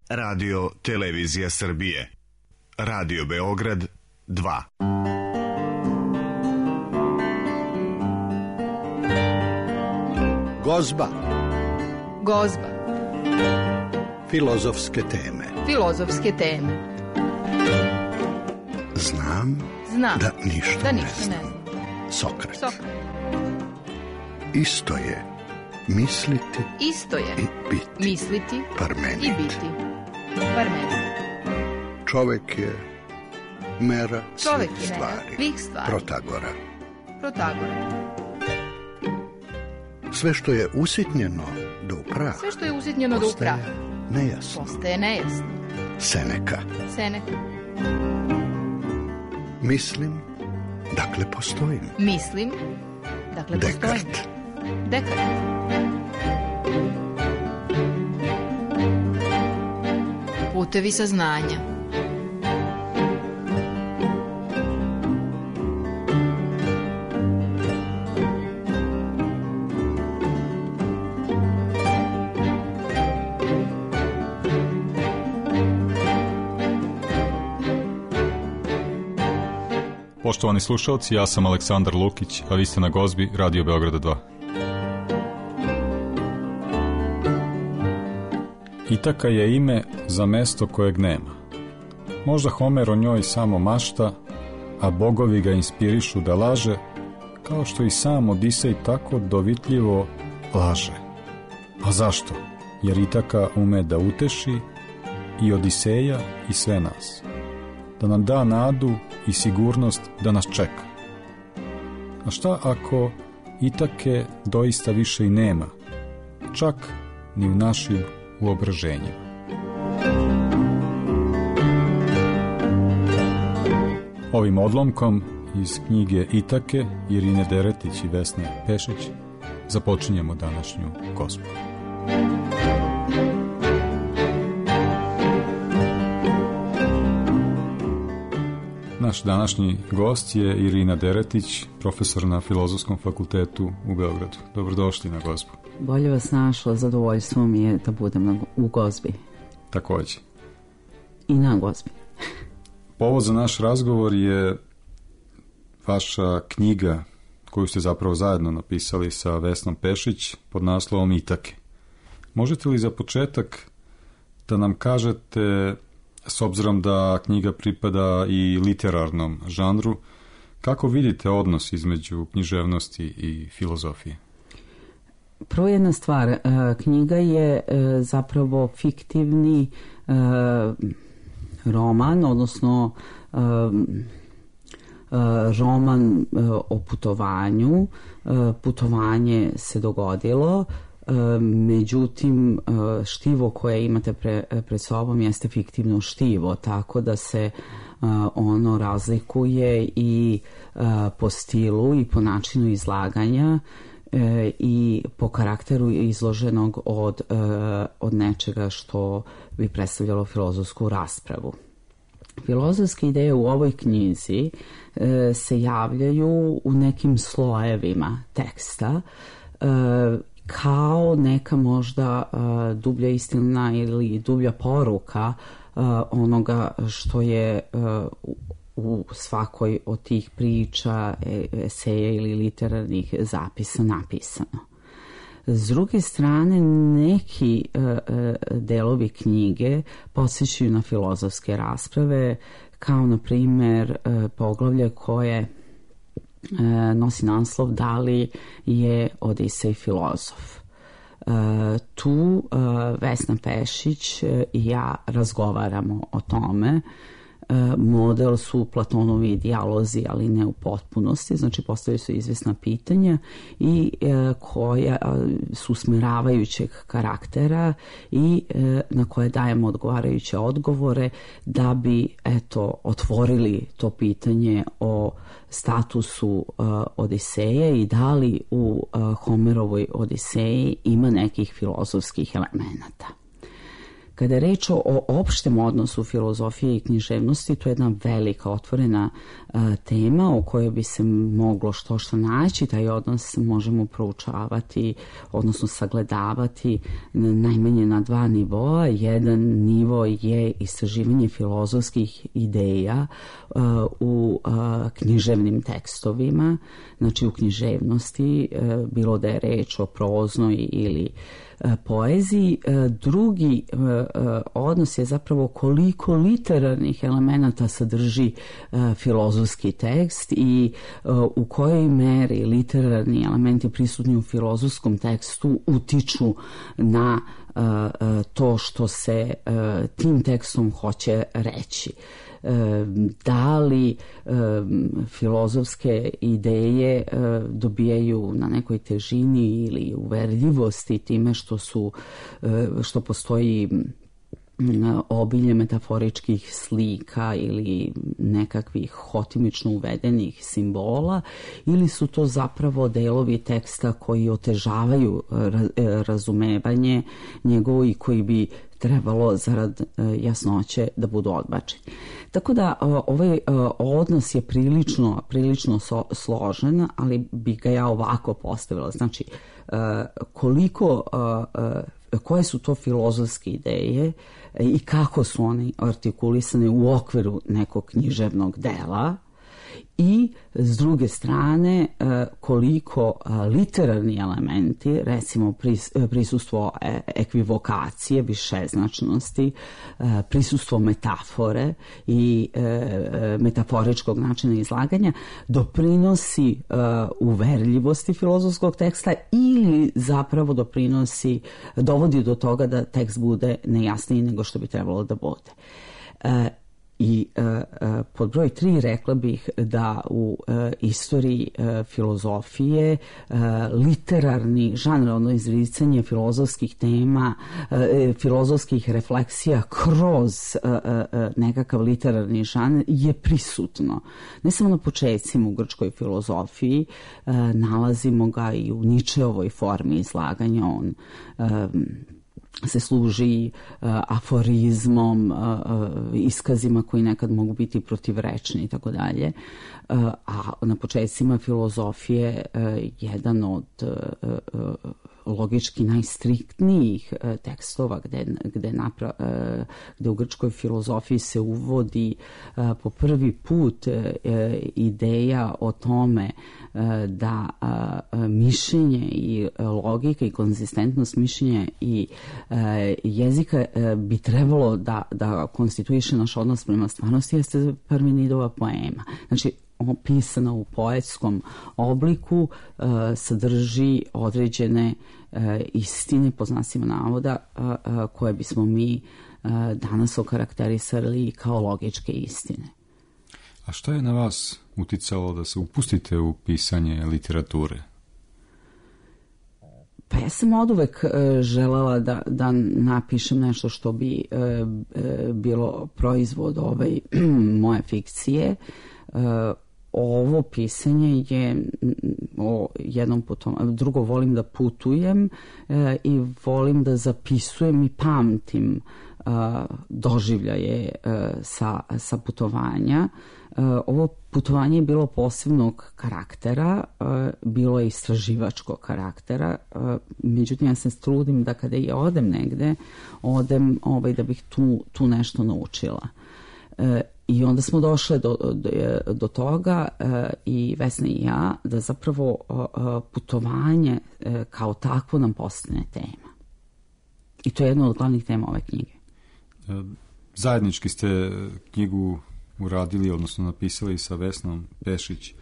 Radio Televizija Srbije. Radio Beograd 2. Gozba. Gozba. Filozofske teme. Filozofske teme. Znam da ništa ne znam. Sokrat. Isto je misliti i biti. Misliti Parmenid. i biti. Parmenid. Čovek je mera Čovek svih je mera stvari. svih stvari. Protagora. Sve što je usitnjeno do upraha. Sve što je usitnjeno do upraha. Nejasno. Postaje nejasno. Seneka. Mislim, dakle postojim. Mislim, dakle postojim. Dekart. Putevi saznanja. Poštovani slušalci, ja sam Aleksandar Lukić, a vi ste na Gozbi Radio Beograda 2. Itaka je ime za mesto kojeg nema. Možda Homer o njoj samo mašta, a bogovi ga inspirišu da laže, kao što i sam Odisej tako dovitljivo laže. A zašto? Jer Itaka ume da uteši i Odiseja i sve nas. Da nam da nadu i sigurnost da nas čeka. A šta ako Itake doista više i nema, čak ni u našim uobraženjima? Ovim odlomkom iz knjige Itake Irine Deretić i Vesne Pešić započinjemo današnju Gozbu. Naš današnji gost je Irina Deretić, profesor na Filozofskom fakultetu u Beogradu. Dobrodošli na Gozbu. Bolje vas našla, zadovoljstvo mi je da budem u Gozbi. Takođe. I na Gozbi. Povod za naš razgovor je vaša knjiga koju ste zapravo zajedno napisali sa Vesnom Pešić pod naslovom Itake. Možete li za početak da nam kažete, s obzirom da knjiga pripada i literarnom žanru, kako vidite odnos između književnosti i filozofije? Prvo jedna stvar, knjiga je zapravo fiktivni roman, odnosno roman o putovanju. Putovanje se dogodilo, međutim štivo koje imate pred sobom jeste fiktivno štivo, tako da se ono razlikuje i po stilu i po načinu izlaganja i po karakteru izloženog od nečega što bi predstavljalo filozofsku raspravu. Filozofske ideje u ovoj knjizi se javljaju u nekim slojevima teksta, kao neka možda dublja istina ili dublja poruka onoga što je u svakoj od tih priča, eseja ili literarnih zapisa napisano. S druge strane, neki delovi knjige podsjećaju na filozofske rasprave, kao na primjer poglavlje koje nosi naslov Da li je Odisej filozof. Tu Vesna Pešić i ja razgovaramo o tome. Model su Platonovi dijalozi, ali ne u potpunosti, znači postavljaju se izvesna pitanja i koja su usmeravajućeg karaktera i na koje dajemo odgovarajuće odgovore da bi otvorili to pitanje o statusu Odiseje i da li u Homerovoj Odiseji ima nekih filozofskih elemenata. Kada je reč o opštem odnosu filozofije i književnosti, to je jedna velika otvorena tema o kojoj bi se moglo što naći. Taj odnos možemo proučavati, odnosno sagledavati najmanje na dva nivoa. Jedan nivo je istraživanje filozofskih ideja u književnim tekstovima, znači u književnosti, bilo da je reč o proznoj ili poeziji. Drugi odnos je zapravo koliko literarnih elemenata sadrži filozofski tekst i u kojoj meri literarni elementi prisutni u filozofskom tekstu utiču na to što se tim tekstom hoće reći. Da li filozofske ideje dobijaju na nekoj težini ili uverljivosti time što postoji obilje metaforičkih slika ili nekakvih hotimično uvedenih simbola, ili su to zapravo delovi teksta koji otežavaju razumevanje njegovo i koji bi trebalo zarad jasnoće da budu odbačeni. Tako da ovaj odnos je prilično složen, ali bi ga ja ovako postavila. Znači, koje su to filozofske ideje i kako su one artikulisane u okviru nekog književnog dela, i s druge strane koliko literarni elementi, recimo prisustvo ekvivokacije, višeznačnosti, prisustvo metafore i metaforičkog načina izlaganja doprinosi uverljivosti filozofskog teksta ili zapravo dovodi do toga da tekst bude nejasniji nego što bi trebalo da bude. I pod broj 3 rekla bih da u istoriji filozofije literarni žanr, odnosno izricanje filozofskih tema, filozofskih refleksija kroz nekakav literarni žanr je prisutno. Ne samo na početcima u grčkoj filozofiji, nalazimo ga i u Ničeovoj formi izlaganja. On se služi aforizmom, iskazima koji nekad mogu biti protivrečni i tako dalje. A na početcima filozofije jedan od logički najstriktnijih tekstova gde u grčkoj filozofiji se uvodi po prvi put ideja o tome da mišljenje i logika i konzistentnost mišljenja i jezika bi trebalo da konstituiše naš odnos prema stvarnosti, jeste Parmenidova poema. Znači, pisana u poetskom obliku, sadrži određene istine, po znacima navoda, koje bismo mi danas okarakterisali kao logičke istine. A šta je na vas uticalo da se upustite u pisanje literature? Pa ja sam oduvek želela da napišem nešto što bi bilo proizvod moje fikcije. Ovo pisanje je o jednom putovanju. Drugo, volim da putujem i volim da zapisujem i pamtim doživljaje sa putovanja. Ovo putovanje je bilo posebnog karaktera, bilo je istraživačkog karaktera, međutim ja se trudim da kada i odem negde, odem da bih tu nešto naučila. I onda smo došle do toga, i Vesna i ja, da zapravo putovanje kao takvo nam postane tema. I to je jedna od glavnih tema ove knjige. Zajednički ste knjigu uradili, odnosno napisali sa Vesnom Pešić.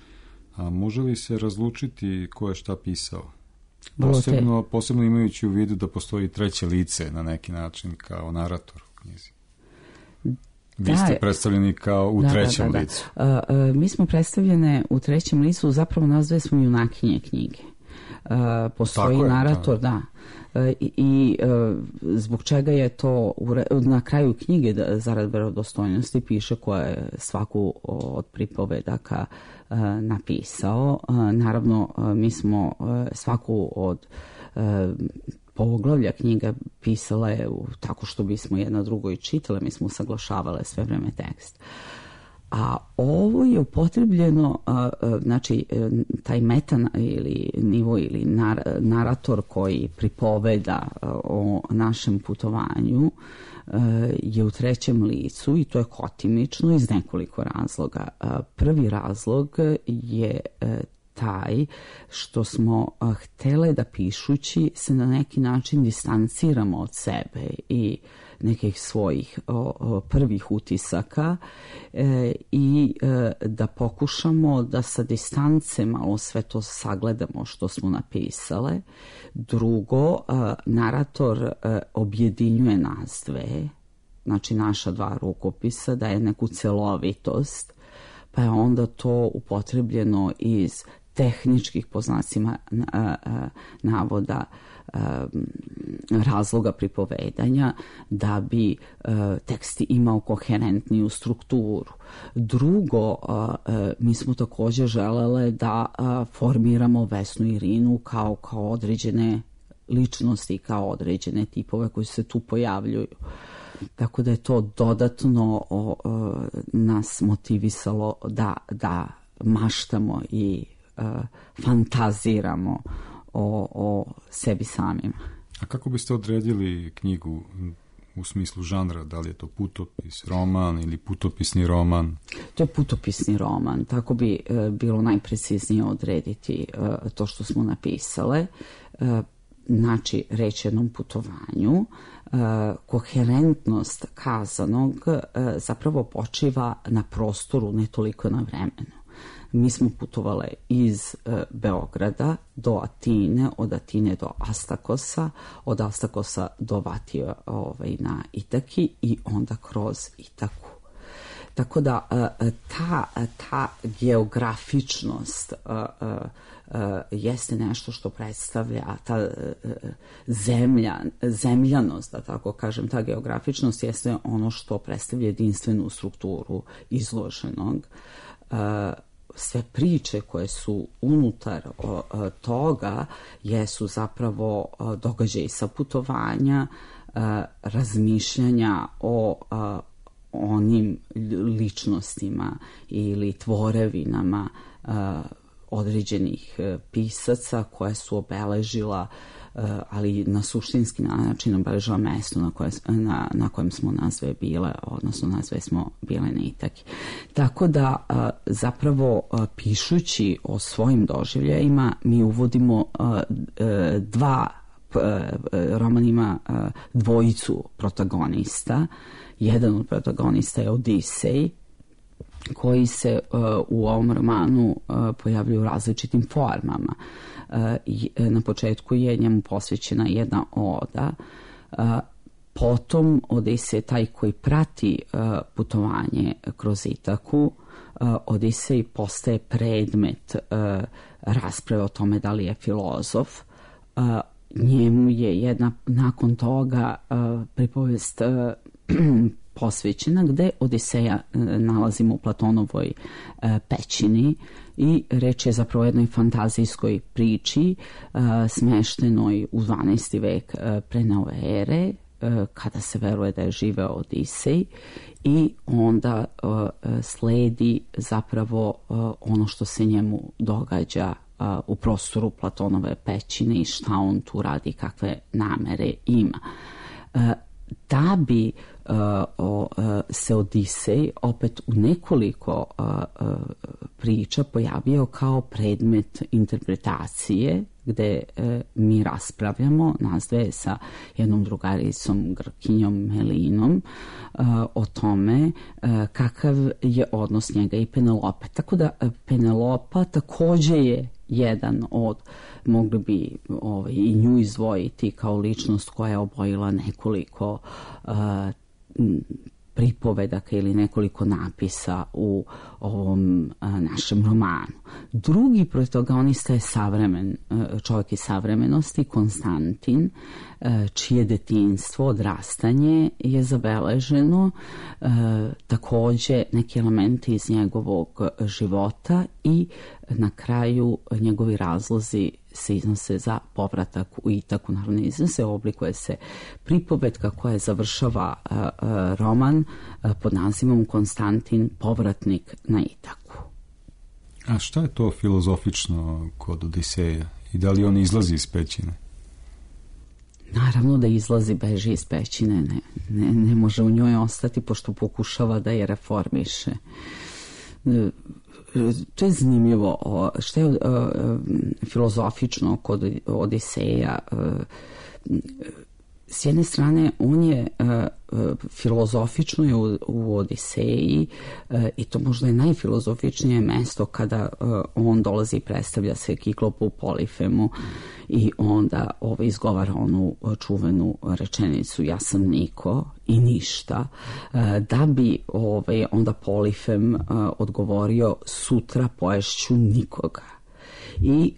A može li se razlučiti ko je šta pisao? Posebno imajući u vidu da postoji treće lice na neki način kao narator u knjizi. Vi ste predstavljeni kao u trećem licu. Mi smo predstavljene u trećem licu, zapravo nas dve smo junakinje knjige. Postoji narator, da. I zbog čega je to na kraju knjige, zarad verodostojnosti, piše ko je svaku od pripovedaka napisao. Naravno, mi smo svaku od poglavlja knjiga pisala je tako što bismo jedna drugoj čitale, mi smo usaglašavale sve vreme tekst. A ovo je upotrebljeno, znači taj meta ili nivo ili narator koji pripoveda o našem putovanju je u trećem licu i to je hotimično iz nekoliko razloga. Prvi razlog je taj što smo htjele da pišući se na neki način distanciramo od sebe i nekih svojih prvih utisaka i da pokušamo da sa distance malo sve to sagledamo što smo napisale. Drugo, narator objedinjuje nas dve, znači naša dva rukopisa, daje neku celovitost, pa je onda to upotrebljeno iz tehničkih, po znacima navoda, razloga pripovedanja da bi tekst imao koherentniju strukturu. Drugo, mi smo također želele da formiramo Vesnu Irinu kao određene ličnosti, kao određene tipove koji se tu pojavljuju. Tako da je to dodatno nas motivisalo da maštamo i fantaziramo o sebi samima. A kako biste odredili knjigu u smislu žanra? Da li je to putopis, roman ili putopisni roman? To je putopisni roman, tako bi bilo najpreciznije odrediti to što smo napisale. Znači, reč jednom putovanju, koherentnost kazanog zapravo počiva na prostoru, ne toliko na vremenu. Mi smo putovale iz Beograda do Atine, od Atine do Astakosa, od Astakosa do Vatije na Itaki i onda kroz Itaku. Tako da ta geografičnost jeste nešto što predstavlja ta zemljanost, da tako kažem, ta geografičnost jeste ono što predstavlja jedinstvenu strukturu izloženog. Sve priče koje su unutar toga jesu zapravo događaji sa putovanja, razmišljanja o onim ličnostima ili tvorevinama određenih pisaca koje su obeležila, ali na suštinski način obeležila mesto na kojem smo nas dve bile, odnosno nas dve smo bile na Itaki. Tako da zapravo pišući o svojim doživljajima mi uvodimo roman ima dvojicu protagonista. Jedan od protagonista je Odisej, koji se u ovom romanu pojavljaju u različitim formama. Na početku je njemu posvećena jedna oda, potom Odisej je taj koji prati putovanje kroz Itaku. Odisej postaje predmet rasprave o tome da li je filozof. Njemu je nakon toga pripovest posvećena gde Odiseja nalazimo u Platonovoj pećini i reč je zapravo o jednoj fantazijskoj priči smeštenoj u 12. vek pre nove ere, kada se veruje da je živeo Odisej, i onda sledi zapravo ono što se njemu događa u prostoru Platonove pećine i šta on tu radi, kakve namere ima. Da bi se Odisej opet u nekoliko priča pojavio kao predmet interpretacije, gde mi raspravljamo, nas dve sa jednom drugaricom Grkinjom Melinom, o tome kakav je odnos njega i Penelope. Tako da Penelopa takođe je jedan od, mogli bi i nju izdvojiti kao ličnost koja je obojila nekoliko pripovedaka ili nekoliko napisa u ovom našem romanu. Drugi protagonista je čovjek iz savremenosti, Konstantin, čije detinjstvo, odrastanje je zabeleženo, takođe neki elementi iz njegovog života i na kraju njegovi razlozi se iznose za povratak u Itaku. Naravno, iznose, oblikuje se pripovetka koja završava roman pod nazivom Konstantin, povratnik na Itaku. A šta je to filozofično kod Odiseja i da li on izlazi iz pećine? Naravno da izlazi, beži iz pećine, ne može u njoj ostati pošto pokušava da je reformiše. To je zanimljivo. Što je filozofično kod Odiseja? S jedne strane, on je filozofično je u Odiseji i to možda je najfilozofičnije mesto kada on dolazi i predstavlja se Kiklopu Polifemu i onda izgovara onu čuvenu rečenicu ja sam niko i ništa, da bi onda Polifem odgovorio sutra poješću nikoga. I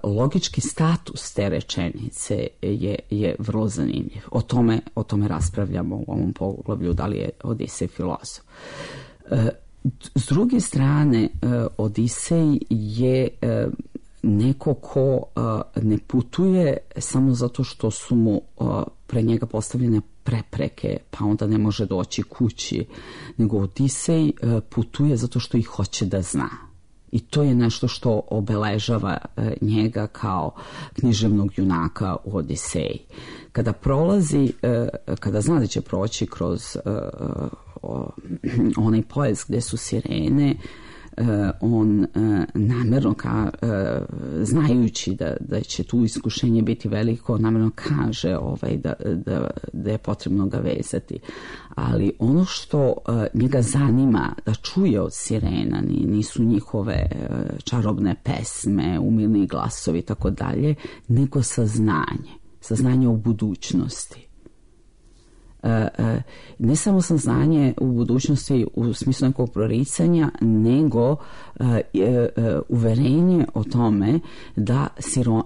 logički status te rečenice je vrlo zanimljiv. O tome raspravljamo u ovom poglavlju, da li je Odisej filozof. S druge strane, Odisej je neko ko ne putuje samo zato što su mu pre njega postavljene prepreke, pa onda ne može doći kući, nego Odisej putuje zato što ih hoće da zna. I to je nešto što obeležava njega kao književnog junaka u Odiseji. Kada prolazi, kada zna da će proći kroz onaj pojas gde su sirene, on namjerno znajući da će tu iskušenje biti veliko, namjerno kaže da je potrebno ga vezati. Ali ono što njega zanima da čuje od sirena nisu njihove čarobne pesme, umilni glasovi i tako dalje, nego saznanje o budućnosti. Ne samo saznanje u budućnosti u smislu nekog proricanja, nego uverenje o tome da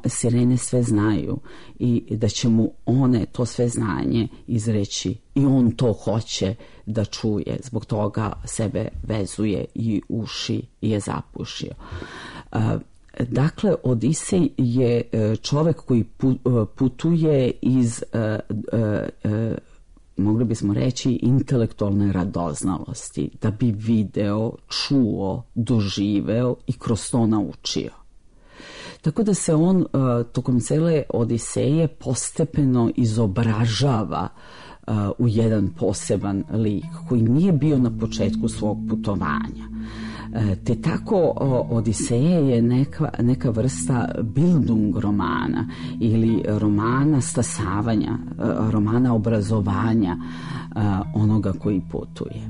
sirene sve znaju i da će mu one to sve znanje izreći i on to hoće da čuje. Zbog toga sebe vezuje i uši i je zapušio. Dakle, Odisej je čovek koji putuje iz mogli bismo reći intelektualne radoznalosti, da bi video, čuo, doživeo i kroz to naučio. Tako da se on tokom cele Odiseje postepeno izobražava u jedan poseban lik koji nije bio na početku svog putovanja. Te tako Odiseje je neka vrsta Bildung romana ili romana stasavanja, romana obrazovanja onoga koji putuje.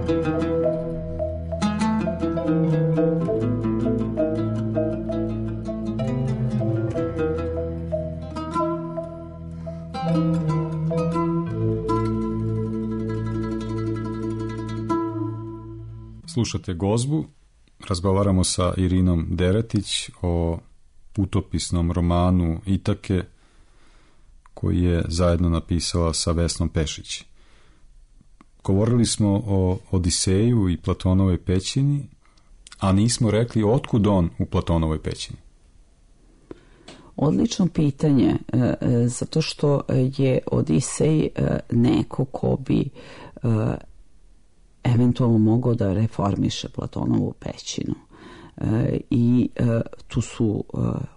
Slušate Gozbu, razgovaramo sa Irinom Deretić o putopisnom romanu Itake koji je zajedno napisala sa Vesnom Pešić. Govorili smo o Odiseju i Platonovoj pećini, a nismo rekli otkud on u Platonovoj pećini. Odlično pitanje, zato što je Odisej neko ko bi eventualno mogao da reformiše Platonovu pećinu. I tu su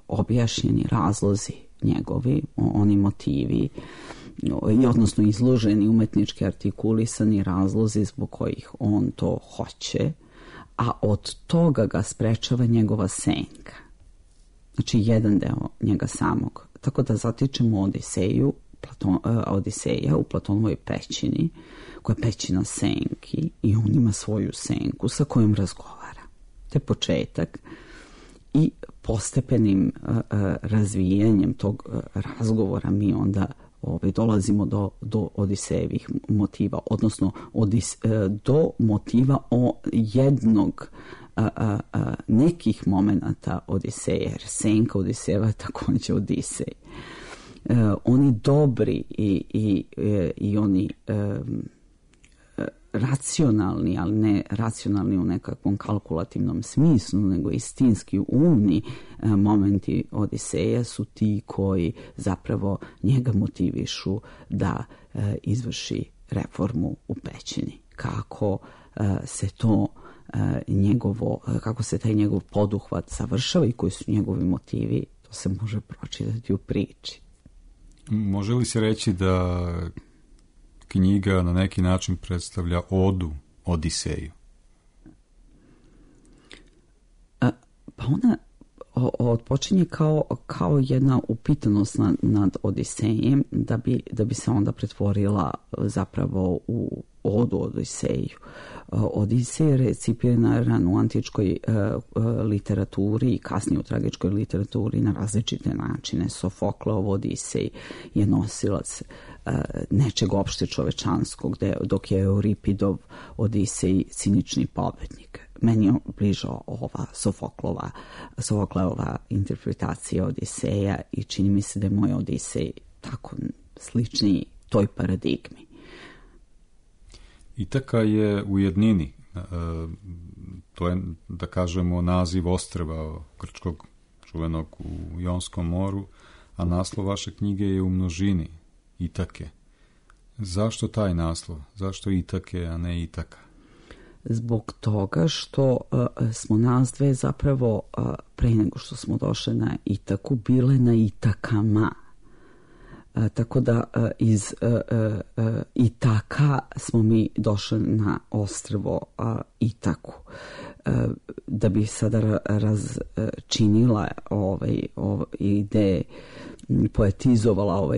objašnjeni razlozi njegovi, oni motivi, odnosno izloženi umetnički artikulisani razlozi zbog kojih on to hoće, a od toga ga sprečava njegova senka. Znači, jedan deo njega samog. Tako da zatičemo Odiseja u Platonovoj pećini, koja je pećina senki, i on ima svoju senku sa kojom razgovara. To je početak. I postepenim razvijanjem tog razgovora mi onda dolazimo do Odisejevih motiva, odnosno do motiva jednog nekih momenata Odiseja, jer senka Odisejeva je također Odisej. Oni dobri i oni racionalni, ali ne racionalni u nekakvom kalkulativnom smislu, nego istinski umni momenti Odiseja su ti koji zapravo njega motivišu da izvrši reformu u pećini. Kako se to kako se taj njegov poduhvat završava i koji su njegovi motivi, to se može pročitati u priči. Može li se reći da knjiga na neki način predstavlja odu Odiseju? Pa ona odpočinje kao jedna upitanost nad Odisejem, da bi se onda pretvorila zapravo u odu Odiseju. Odisej je recipiran u antičkoj literaturi i kasnije u tragičkoj literaturi na različite načine. Sofokleov Odisej je nosilac nečeg opšte čovečanskog, dok je Euripidov Odisej cinični pobednik. Meni je bliža ova Sofokleova interpretacija Odiseja i čini mi se da je moj Odisej tako slični toj paradigmi. Itaka je u jednini, to je, da kažemo, naziv ostrva grčkog čuvenog u Jonskom moru, a naslov vaše knjige je u množini, Itake. Zašto taj naslov? Zašto Itake, a ne Itaka? Zbog toga što smo nas dve zapravo pre nego što smo došli na Itaku bile na Itakama. Tako da iz Itaka smo mi došli na ostrvo Itaku. Da bi sada razčinila ideje, poetizovala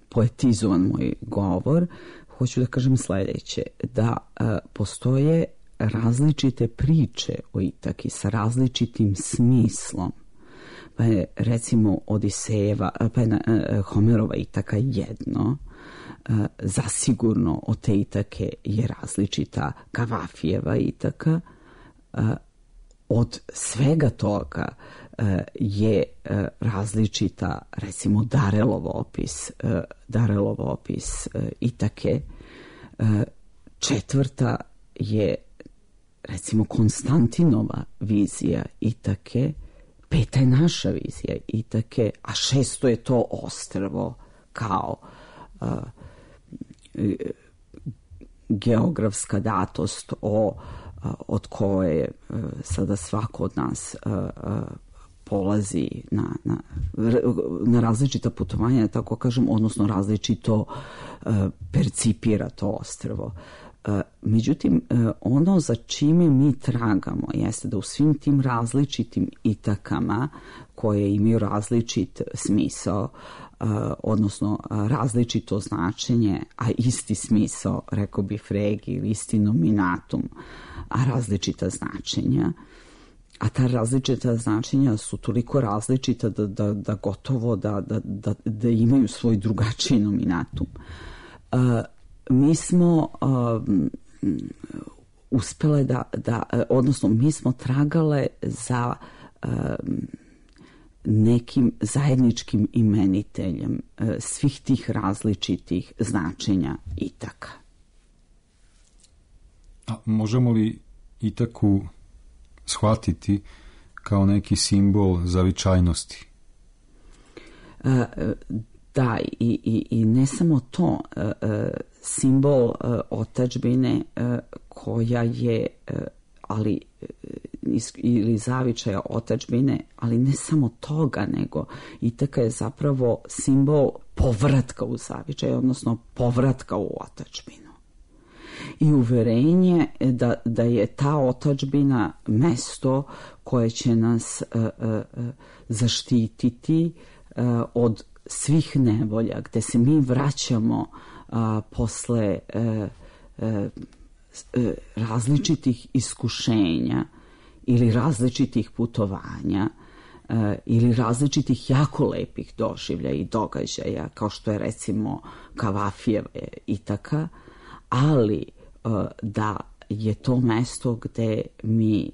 poetizovan moj govor, hoću da kažem sledeće, da postoje različite priče o Itaki sa različitim smislom. Pa je recimo Odisejeva, pa je Homerova Itaka jedno, zasigurno od te Itake je različita Kavafijeva Itaka, od svega toga je različita recimo Darelov opis Itake, četvrta je recimo Konstantinova vizija Itake, peta je naša vizija Itake, a šesto je to ostrvo kao geografska datost od koje sada svako od nas polazi na različita putovanja, tako kažem, odnosno različito percipira to ostrvo. Međutim, ono za čime mi tragamo jeste da u svim tim različitim itakama koje imaju različit smisao, odnosno različito značenje, a isti smisao, rekao bi Frege, ili isti nominatum, a različita značenja, a ta različita značenja su toliko različita da gotovo da imaju svoj drugačiji nominatum. Mi smo uspele odnosno mi smo tragale za nekim zajedničkim imeniteljem svih tih različitih značenja itaka. A možemo li itaku shvatiti kao neki simbol zavičajnosti? Da, i ne samo to, simbol otadžbine koja je, ali ili zavičaja otadžbine, ali ne samo toga, nego itaka je zapravo simbol povratka u zavičaj, odnosno povratka u otadžbinu. I uverenje da je ta otadžbina mesto koje će nas zaštititi od svih nevolja, gde se mi vraćamo posle različitih iskušenja ili različitih putovanja ili različitih jako lepih doživlja i događaja, kao što je recimo Kavafijeva itaka, ali da je to mesto gde mi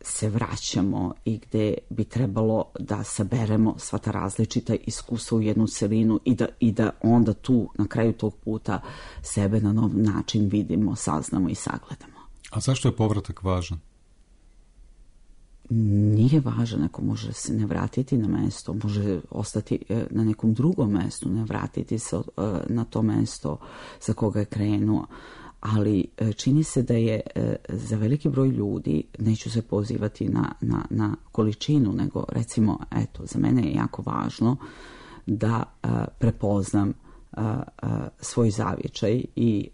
se vraćamo i gde bi trebalo da saberemo sva ta različita iskustva u jednu celinu i da onda tu, na kraju tog puta, sebe na nov način vidimo, saznamo i sagledamo. A zašto je povratak važan? Nije važan, ako može se ne vratiti na mesto, može ostati na nekom drugom mestu, ne vratiti se na to mesto za koga je krenuo. Ali čini se da je za veliki broj ljudi, neću se pozivati na količinu, nego recimo, eto, za mene je jako važno da prepoznam svoj zavičaj i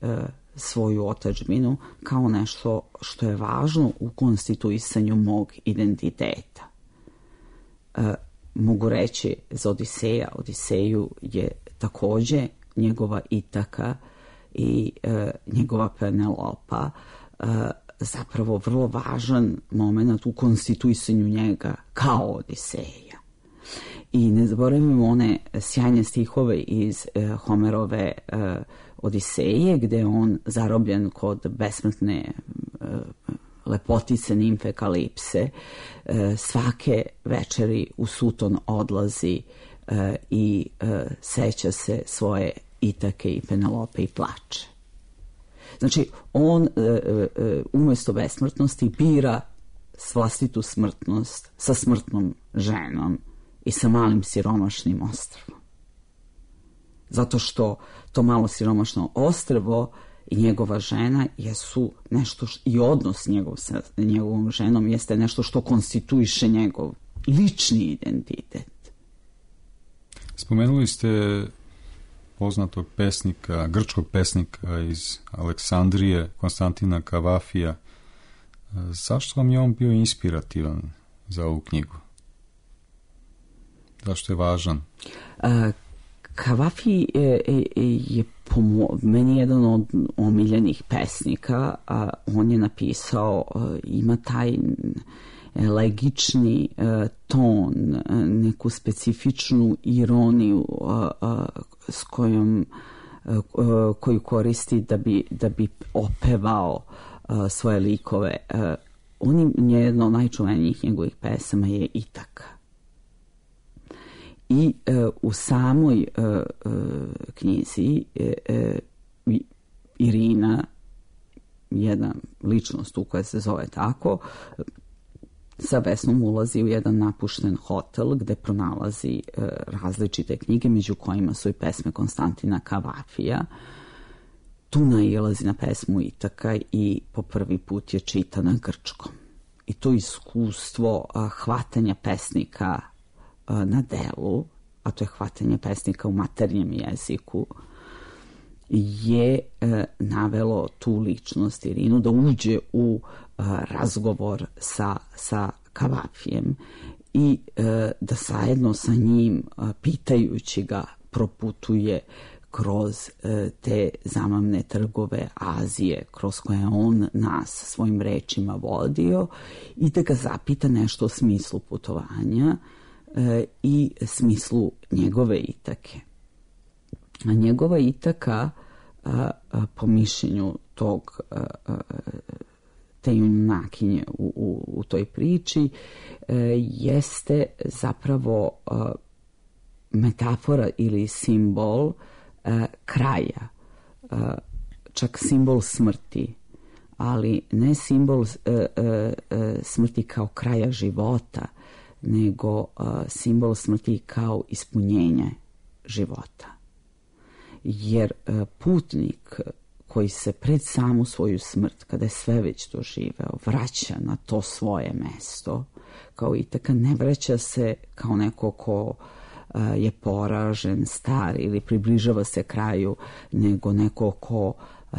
svoju otadžbinu kao nešto što je važno u konstituisanju mog identiteta. Mogu reći za Odiseja, Odiseju je takođe njegova itaka i njegova Penelopa zapravo vrlo važan moment u konstituisanju njega kao Odiseja. I ne zaboravimo one sjajne stihove iz Homerove Odiseje, gde je on zarobljen kod besmrtne lepotice nimfe Kalipse, svake večeri u Suton odlazi i seća se svoje Itake i Penelope i plače. Znači, on umjesto besmrtnosti bira vlastitu smrtnost sa smrtnom ženom i sa malim siromašnim ostrvom. Zato što to malo siromašno ostrvo i njegova žena jesu nešto, i odnos njegov sa njegovom ženom jeste nešto što konstituiše njegov lični identitet. Spomenuli ste poznatog pesnika, grčkog pesnika iz Aleksandrije, Konstantina Kavafija. Zašto vam je on bio inspirativan za ovu knjigu? Zašto je važan? Kavafi je po meni jedan od omiljenih pesnika. On je napisao, ima taj elegični ton, neku specifičnu ironiju s koju koristi da bi opevao svoje likove. Jedna od najčuvenijih njegovih pesama je Itaka. I u samoj knjizi Irina, jedna ličnost u koja se zove tako, sa Vesnom ulazi u jedan napušten hotel gde pronalazi različite knjige, među kojima su i pesme Konstantina Kavafija. Tu nailazi na pesmu Itaka i po prvi put je čita na grčkom. I to iskustvo hvatanja pesnika na delu, a to je hvatanje pesnika u maternjem jeziku, je navelo tu ličnost Irinu da uđe u razgovor sa Kavafijem i da zajedno sa njim, pitajući ga, proputuje kroz te zamamne trgove Azije kroz koje on nas svojim rečima vodio i da ga zapita nešto o smislu putovanja i smislu njegove Itake. A njegova Itaka, po mišljenju te junakinje u toj priči, jeste zapravo metafora ili simbol kraja, čak simbol smrti, ali ne simbol smrti kao kraja života, nego simbol smrti kao ispunjenje života. Jer putnik koji se pred samu svoju smrt, kada je sve već doživeo, vraća na to svoje mesto, kao Itaka, ne vraća se kao neko ko je poražen, star ili približava se kraju, nego neko ko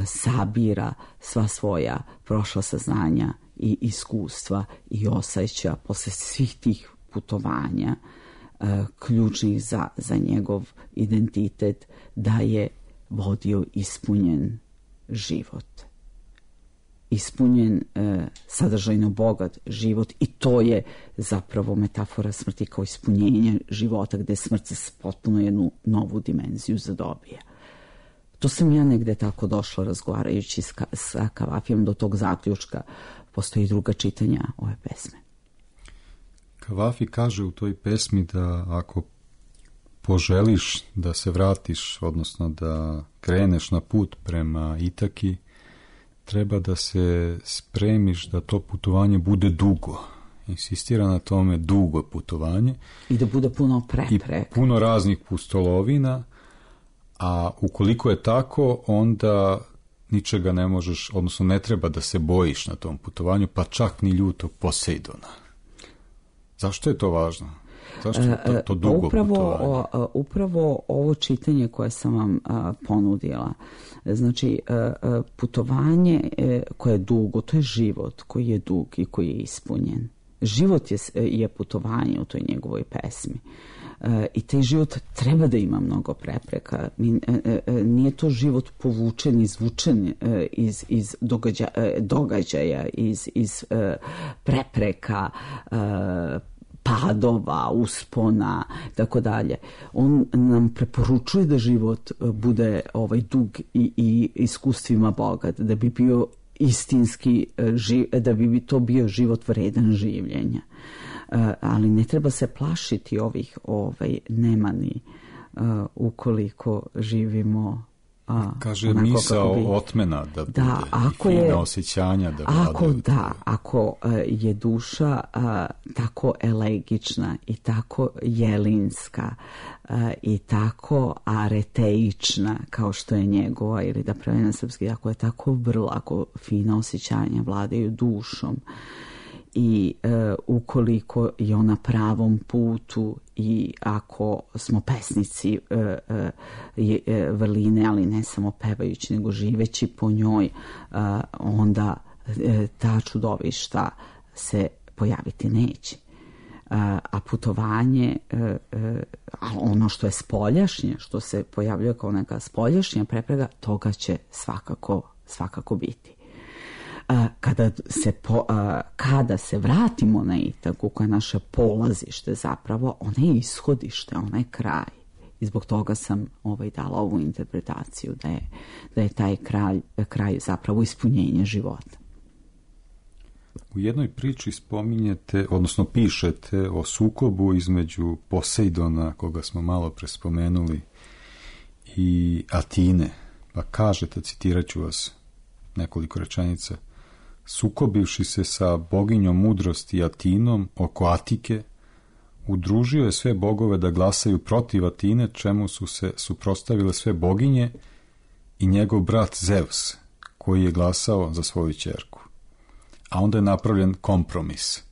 sabira sva svoja prošla saznanja i iskustva i osjeća posle svih tih putovanja ključnih za njegov identitet, da je vodio ispunjen život. Ispunjen, sadržajno bogat život, i to je zapravo metafora smrti kao ispunjenje života, gde smrt potpuno jednu novu dimenziju zadobija. To sam ja negde tako došla razgovarajući sa Kavafijem do tog zaključka. Postoji druga čitanja ove pesme. Kavafi kaže u toj pesmi da ako poželiš da se vratiš, odnosno da kreneš na put prema Itaki, treba da se spremiš da to putovanje bude dugo. Insistira na tome dugo putovanje. I da bude puno prepreka. I puno raznih pustolovina, a ukoliko je tako, onda ničega ne možeš, odnosno ne treba da se bojiš na tom putovanju, pa čak ni ljutog Posejdona. Zašto je to važno? Zašto je to dugo putovanje? Upravo ovo čitanje koje sam vam ponudila. Znači, putovanje koje je dugo, to je život koji je dug i koji je ispunjen. Život je putovanje u toj njegovoj pesmi. I taj život treba da ima mnogo prepreka. Nije to život povučen, izvučen iz događaja, iz prepreka, padova, uspona, tako dalje. On nam preporučuje da život bude dug i iskustvima bogat, da bi bio istinski, da bi to bio život vredan življenja. Ali ne treba se plašiti ovih nemani ukoliko živimo kaže misao otmena da bude fina osjećanja da vladaju. Ako je duša tako elegična i tako jelinska i tako areteična kao što je njegova, ili da pravi na srpski, ako je tako vrlo, ako fina osjećanja vladaju dušom, i ukoliko je ona pravom putu, i ako smo pesnici vrline, ali ne samo pevajući, nego živeći po njoj, onda ta čudovišta se pojaviti neće. A putovanje, ono što je spoljašnje, što se pojavljuje kao neka spoljašnja prepreka, toga će svakako biti. Kada se vratimo na Itaku, koja je naše polazište zapravo, ona je ishodište, ona je kraj. I zbog toga sam dala ovu interpretaciju da je taj kraj zapravo ispunjenje života. U jednoj priči spominjete, odnosno pišete o sukobu između Posejdona, koga smo malo prespomenuli, i Atine. Pa kažete, citirat ću vas nekoliko rečenica: sukobivši se sa boginjom mudrosti Atinom oko Atike, udružio je sve bogove da glasaju protiv Atine, čemu su se suprotstavile sve boginje i njegov brat Zeus, koji je glasao za svoju ćerku. A onda je napravljen kompromis.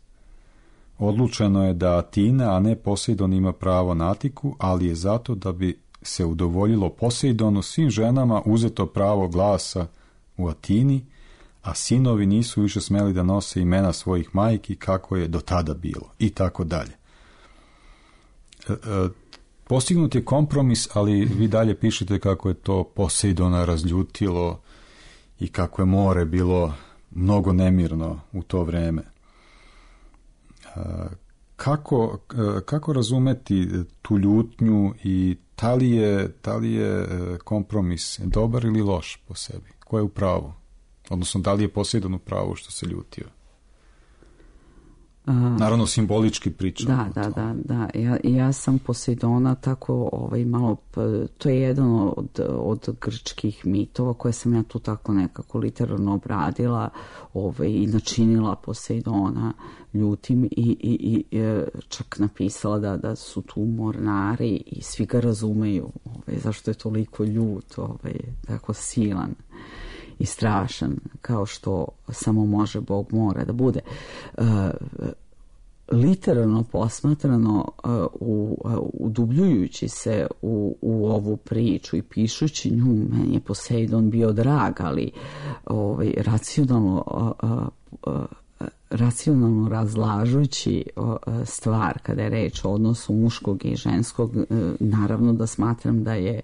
Odlučeno je da Atina, a ne Posejdon, ima pravo na Atiku, ali je zato da bi se udovoljilo Poseidonu, svim ženama uzeto pravo glasa u Atini, a sinovi nisu više smeli da nose imena svojih majki kako je do tada bilo i tako dalje. Postignut je kompromis, ali vi dalje pišete kako je to Poseidona razljutilo i kako je more bilo mnogo nemirno u to vreme. Kako razumeti tu ljutnju i da li je kompromis dobar ili loš po sebi? Ko je u pravu? Odnosno, da li je Poseidon u pravu što se ljutio? Naravno, simbolički pričam. Da. Ja sam Poseidona tako malo, to je jedan od grčkih mitova koje sam ja tu tako nekako literarno obradila i načinila Poseidona ljutim i čak napisala da su tu mornari i svi ga razumeju zašto je toliko ljut, tako silan i strašan, kao što samo može Bog mora da bude. Literarno posmatrano, udubljujući se u ovu priču i pišući nju, meni je Poseidon bio drag, ali racionalno razlažući stvar kada je reč o odnosu muškog i ženskog, naravno da smatram da je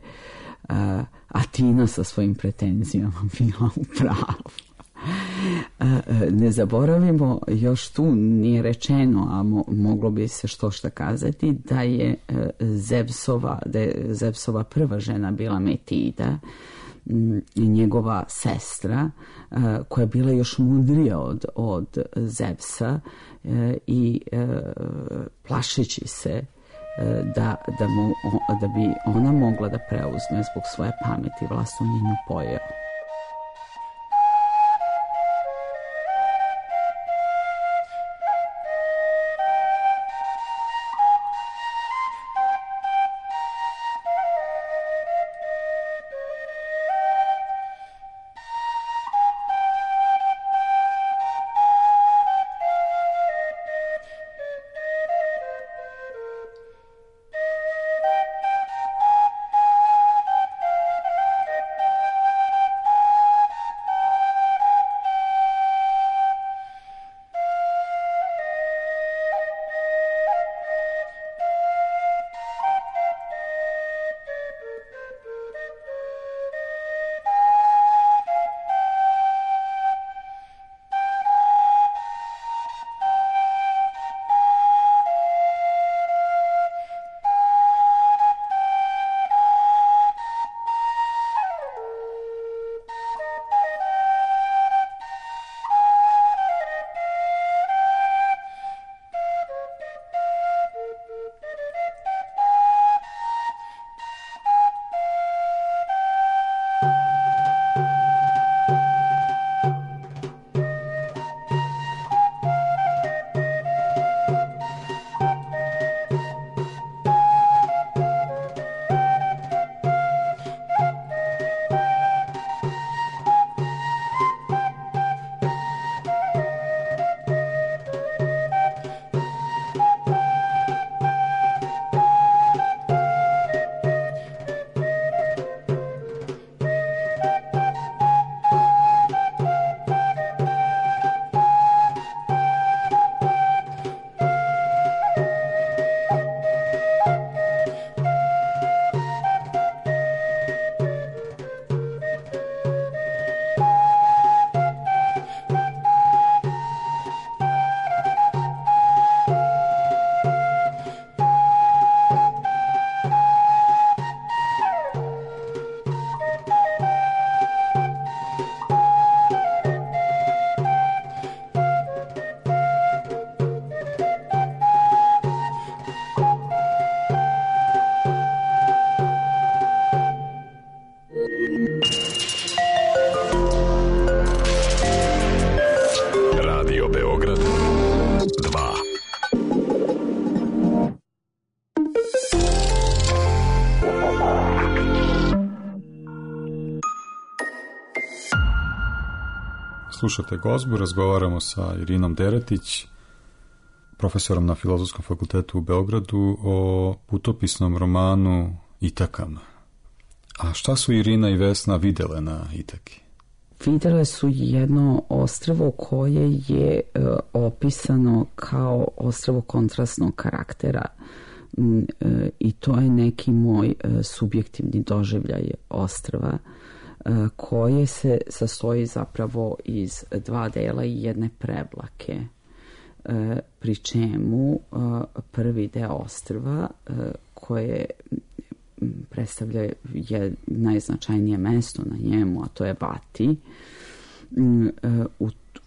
Atina sa svojim pretenzijama bila u pravu. Ne zaboravimo, još tu nije rečeno, a moglo bi se što kazati, da je Zevsova prva žena bila Metida, njegova sestra, koja je bila još mudrija od Zevsa i plašeći se da bi ona mogla da preuzme zbog svoje pameti vlast, on je nju pojeo. Slušate Gozbu, razgovaramo sa Irinom Deretić, profesorom na Filozofskom fakultetu u Beogradu, o putopisnom romanu Itakama. A šta su Irina i Vesna videle na Itaki? Videle su jedno ostrvo koje je opisano kao ostrvo kontrastnog karaktera i to je neki moj subjektivni doživljaj ostrva koje se sastoji zapravo iz 2 dela i jedne prevlake, pri čemu prvi deo ostrva koje predstavlja je najznačajnije mesto na njemu, a to je Vati.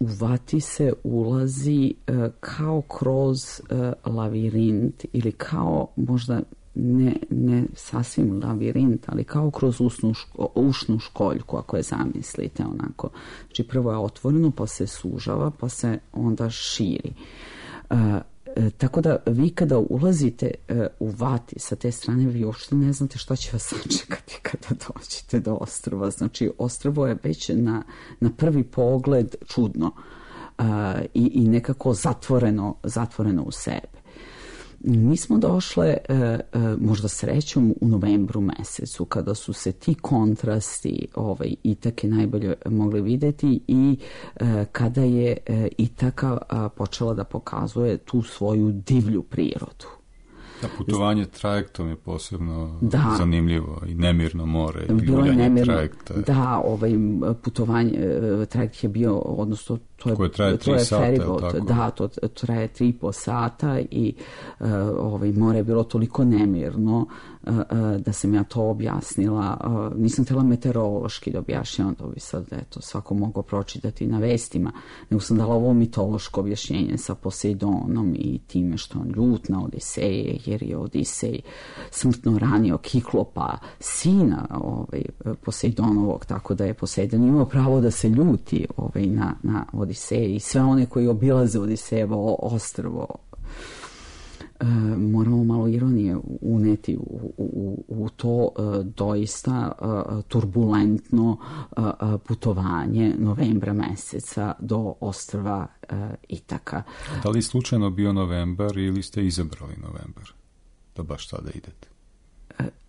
U Vati se ulazi kao kroz lavirint ili kao možda ne sasvim lavirint, ali kao kroz ušnu školjku, ako je zamislite onako. Znači prvo je otvoreno, pa se sužava, pa se onda širi. Tako da vi kada ulazite u Vati sa te strane, vi uopšte ne znate šta će vas sačekati kada dođete do ostrva. Znači ostrvo je već na prvi pogled čudno i nekako zatvoreno u sebe. Mi smo došle možda srećom u novembru mesecu kada su se ti kontrasti Itake najbolje mogli vidjeti i kada je Itaka počela da pokazuje tu svoju divlju prirodu. Da, putovanje trajektom je posebno zanimljivo i nemirno more. Bilo je nemirno. Da, putovanje, trajekt je bio, odnosno koje traje 3 sata, je li tako? Da, to traje 3,5 sata i more je bilo toliko nemirno da sam ja to objasnila. Nisam htjela meteorološki da objašnjavam, to bi sad svako mogao pročitati na vestima, nego sam dala ovo mitološko objašnjenje sa Poseidonom i time što on ljut na Odiseje, jer je Odisej smrtno ranio Kiklopa, sina Poseidonovog, tako da je Poseidon imao pravo da se ljuti na Odiseje i sve one koji obilaze Odisejevo ostrvo. Moramo malo ironije uneti u to doista turbulentno putovanje novembra meseca do ostrva Itaka. Da li slučajno bio novembar ili ste izabrali novembar da baš tada idete?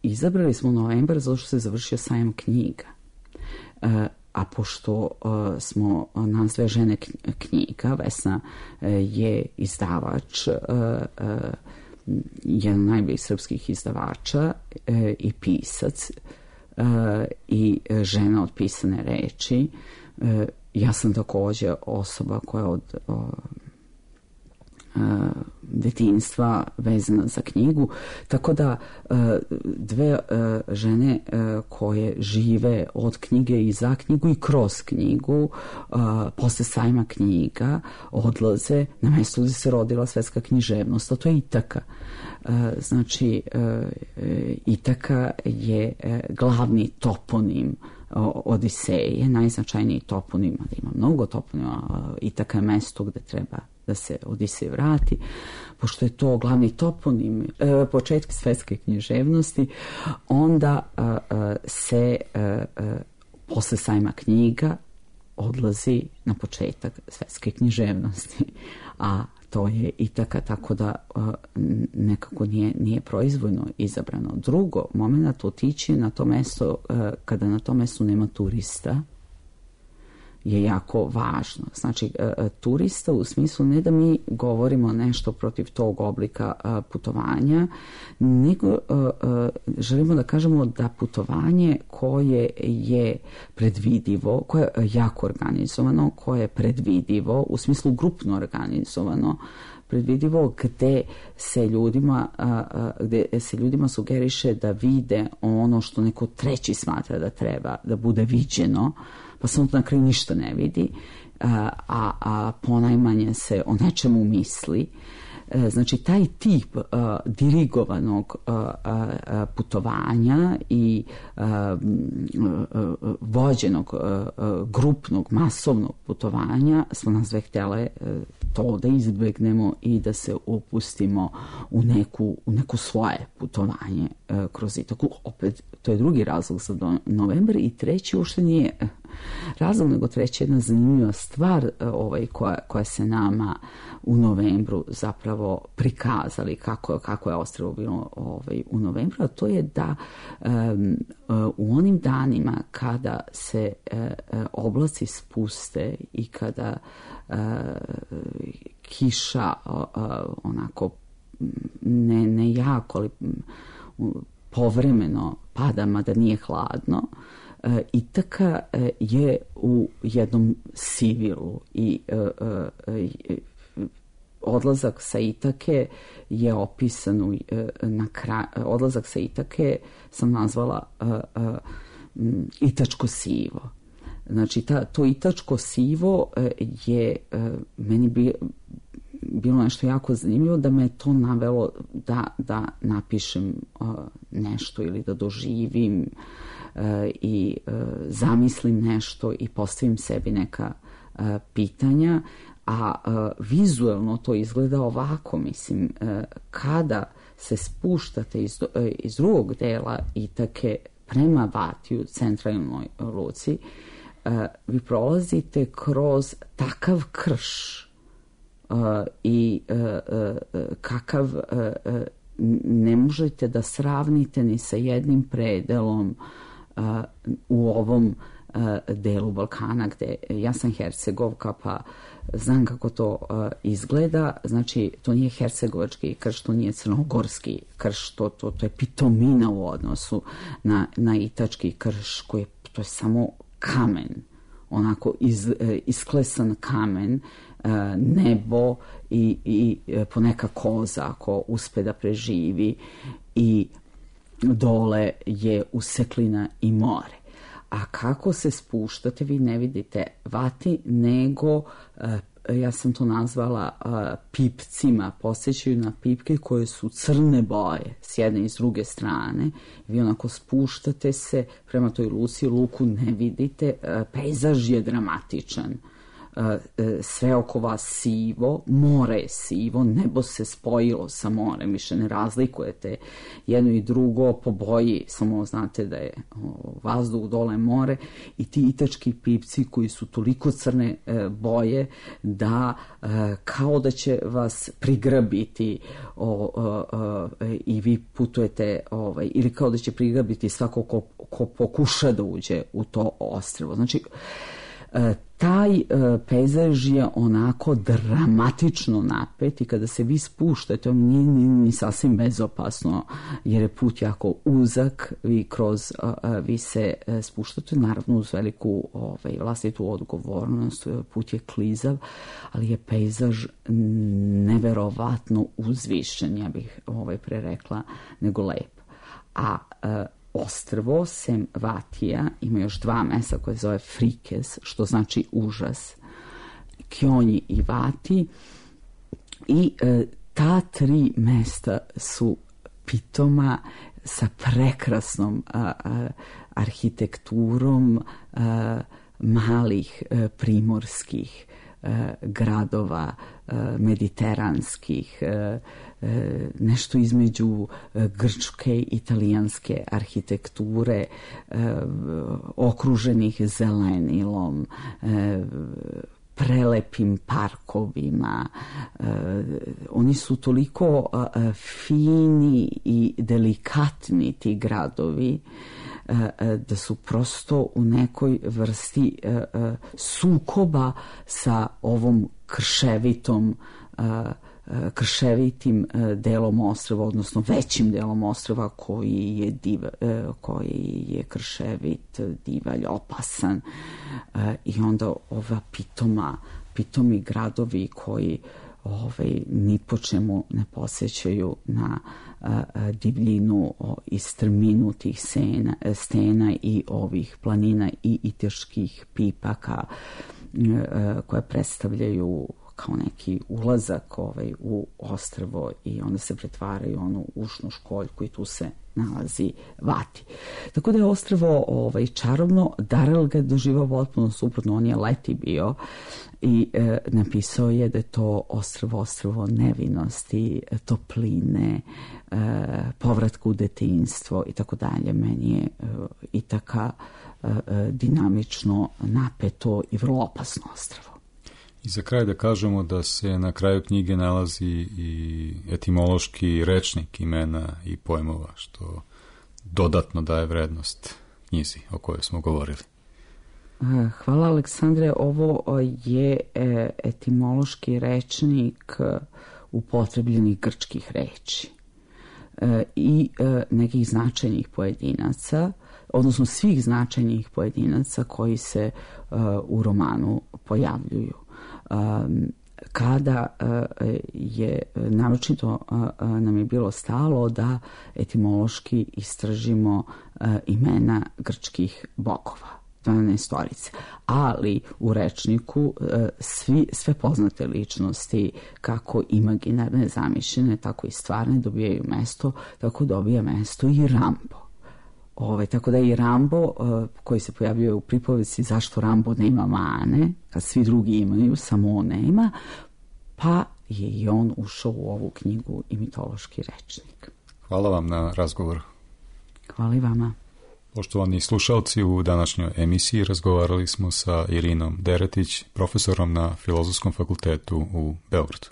Izabrali smo novembar zato što se završio sajam knjiga. A pošto smo nas 2 žene knjiga, Vesna je izdavač, jedan najboljih srpskih izdavača i pisac i žena od pisane reči. Ja sam također osoba koja od detinjstva vezana za knjigu, tako da 2 žene koje žive od knjige i za knjigu i kroz knjigu posle sajma knjiga odlaze na mjesto gdje se rodila svetska književnost, a to je Itaka. Znači Itaka je glavni toponim Odiseje, najznačajniji toponim, da ima mnogo toponima. Itaka je mesto gde treba da se Odisej vrati, pošto je to glavni toponim početka svetske književnosti, onda se posle sajma knjiga odlazi na početak svetske književnosti, a to je Itaka, tako da nekako nije proizvoljno izabrano. Drugo, moment otići na to mesto kada na tom mestu nema turista je jako važno. Znači, turista u smislu ne da mi govorimo nešto protiv tog oblika putovanja, nego želimo da kažemo da putovanje koje je predvidivo, koje je jako organizovano, koje je predvidivo, u smislu grupno organizovano, predvidivo gde se ljudima sugeriše da vide ono što neko treći smatra da treba da bude viđeno, pa se onda na kraju ništa ne vidi, a ponajmanje se o nečemu misli. Znači, taj tip dirigovanog putovanja i vođenog grupnog, masovnog putovanja smo nas 2 htjele to da izbegnemo i da se upustimo u neko svoje putovanje kroz Itaku. Opet, to je drugi razlog za novembar i treći uopšte nije razlog, nego treća jedna zanimljiva stvar koja se nama u novembru zapravo prikazali kako je ostrvo bilo u novembru, a to je da u onim danima kada se oblaci spuste i kada kiša onako ne jako, ali povremeno pada, mada nije hladno, Itaka je u jednom sivilu i odlazak sa Itake je opisan odlazak sa Itake sam nazvala itačko sivo. Znači, to itačko sivo je meni bilo nešto jako zanimljivo, da me to navelo da napišem nešto ili da doživim i zamislim nešto i postavim sebi neka pitanja, a vizuelno to izgleda ovako, mislim, kada se spuštate iz drugog dela Itake prema Vatiju, centralnoj luci, vi prolazite kroz takav krš i kakav ne možete da sravnite ni sa jednim predelom u ovom delu Balkana, gde ja sam Hercegovka, pa znam kako to izgleda. Znači, to nije hercegovački krš, to nije crnogorski krš, to je pitomina u odnosu na itački krš, to je samo kamen, onako isklesan kamen, nebo i poneka koza ako uspe da preživi, i dole je useklina i more. A kako se spuštate, vi ne vidite Vati, nego ja sam to nazvala pipcima, posjećaju na pipke koje su crne boje s jedne i s druge strane. Vi onako spuštate se prema toj luci, luku ne vidite, pejzaž je dramatičan. Sve oko vas sivo, more je sivo, nebo se spojilo sa morem, više ne razlikujete jedno i drugo po boji, samo znate da je vazduh, dole more, i ti itački pipci koji su toliko crne boje da kao da će vas prigrabiti i vi putujete, ili kao da će prigrabiti svako ko pokuša da uđe u to ostrvo. Znači, taj pejzaž je onako dramatično napet i kada se vi spuštate, on nije ni sasvim bezopasno, jer je put jako uzak, vi se spuštate, naravno uz veliku vlastitu odgovornost, put je klizav, ali je pejzaž neverovatno uzvišen, ja bih prerekla, nego lep. A ostrvo, sem Vatija, ima još dva mesta koje zove Frikes, što znači užas, Kjonji i Vati, i ta tri mesta su pitoma sa prekrasnom arhitekturom malih primorskih gradova, mediteranskih, nešto između grčke i italijanske arhitekture, okruženih zelenilom, prelepim parkovima. Oni su toliko fini i delikatni, ti gradovi, da su prosto u nekoj vrsti sukoba sa ovom krševitim delom ostrva, odnosno većim delom ostrva koji je krševit, divalj, opasan, i onda ova pitomi gradovi koji ni po čemu ne posjećaju na divljinu i strminu tih stena i ovih planina i iteških pipaka koje predstavljaju kao neki ulazak u ostrvo, i onda se pretvaraju onu ušnu školjku i tu se nalazi Vati. Tako da je ostrvo čarobno. Darel ga je doživao potpuno suprotno, on je leti bio i napisao je da je to ostrvo nevinosti, topline, povratka u detinjstvo i tako dalje. Meni je Itaka dinamično, napeto i vrlo opasno ostrvo. I za kraj da kažemo da se na kraju knjige nalazi i etimološki rečnik imena i pojmova, što dodatno daje vrednost knjizi o kojoj smo govorili. Hvala, Aleksandre. Ovo je etimološki rečnik upotrebljenih grčkih reči i nekih značajnih pojedinaca, odnosno svih značajnih pojedinaca koji se u romanu pojavljuju. Kada je naročito nam je bilo stalo da etimološki istražimo imena grčkih bogova, 12-torice, ali u rečniku sve poznate ličnosti, kako imaginarne, zamišljene, tako i stvarne, dobijaju mesto, tako dobija mesto i Rambo. Tako da i Rambo, koji se pojavljuje u pripovesti zašto Rambo nema mane, kad svi drugi imaju, samo on nema, pa je i on ušao u ovu knjigu i mitološki rečnik. Hvala vam na razgovoru. Hvala i vama. Poštovani slušalci, u današnjoj emisiji razgovarali smo sa Irinom Deretić, profesorom na Filozofskom fakultetu u Beogradu.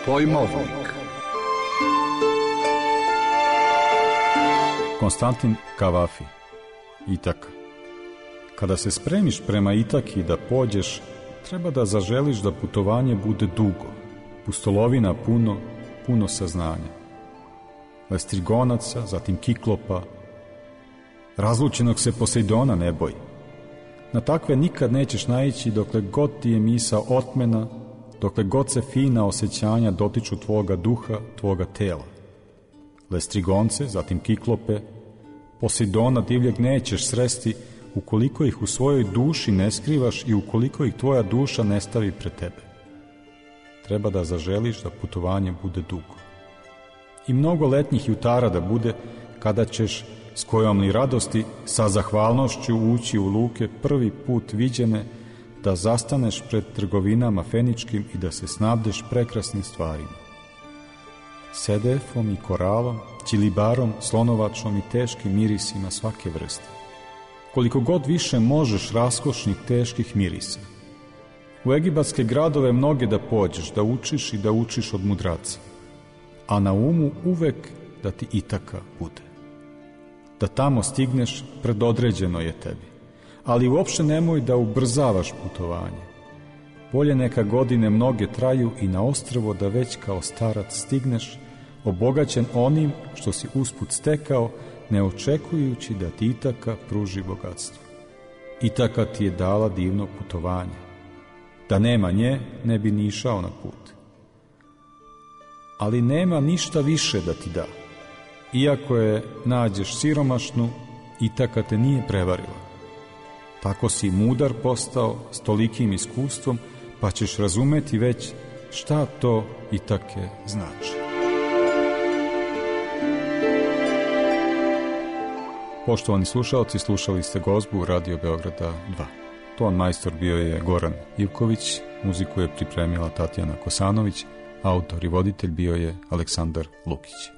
Pojmovnik. Konstantin Kavafi. Itaka. Kada se spremiš prema Itaki da pođeš, treba da zaželiš da putovanje bude dugo, pustolovina puno saznanja. Lestrigonaca, zatim Kiklopa, razlučenog se Posejdona ne boj. Na takve nikad nećeš naići dokle god ti je misa otmena, dokle god se fina osjećanja dotiču tvoga duha, tvoga tela. Lestrigonce, zatim Kiklope, Posejdona divljeg nećeš sresti ukoliko ih u svojoj duši ne skrivaš i ukoliko ih tvoja duša ne stavi pred tebe. Treba da zaželiš da putovanje bude dugo. I mnogo letnjih jutara da bude kada ćeš s kojom li radosti sa zahvalnošću ući u luke prvi put viđene, da zastaneš pred trgovinama feničkim i da se snabdeš prekrasnim stvarima. Sedefom i koralom, ćilibarom, slonovačom i teškim mirisima svake vrste. Koliko god više možeš raskošnih teških mirisa. U egipatske gradove mnoge da pođeš, da učiš i da učiš od mudraca. A na umu uvek da ti Itaka bude. Da tamo stigneš predodređeno je tebi. Ali uopšte nemoj da ubrzavaš putovanje. Bolje neka godine mnoge traju i na ostrvo da već kao starac stigneš, obogaćen onim što si usput stekao, ne očekujući da ti Itaka pruži bogatstvo. Itaka ti je dala divno putovanje. Da nema nje, ne bi ni išao na put. Ali nema ništa više da ti da. Iako je nađeš siromašnu, Itaka te nije prevarila. Tako si mudar postao s tolikim iskustvom, pa ćeš razumeti već šta to Itake znači. Poštovani slušalci, slušali ste gozbu Radio Beograda 2. Ton majstor bio je Goran Ivković, muziku je pripremila Tatjana Kosanović, autor i voditelj bio je Aleksandar Lukić.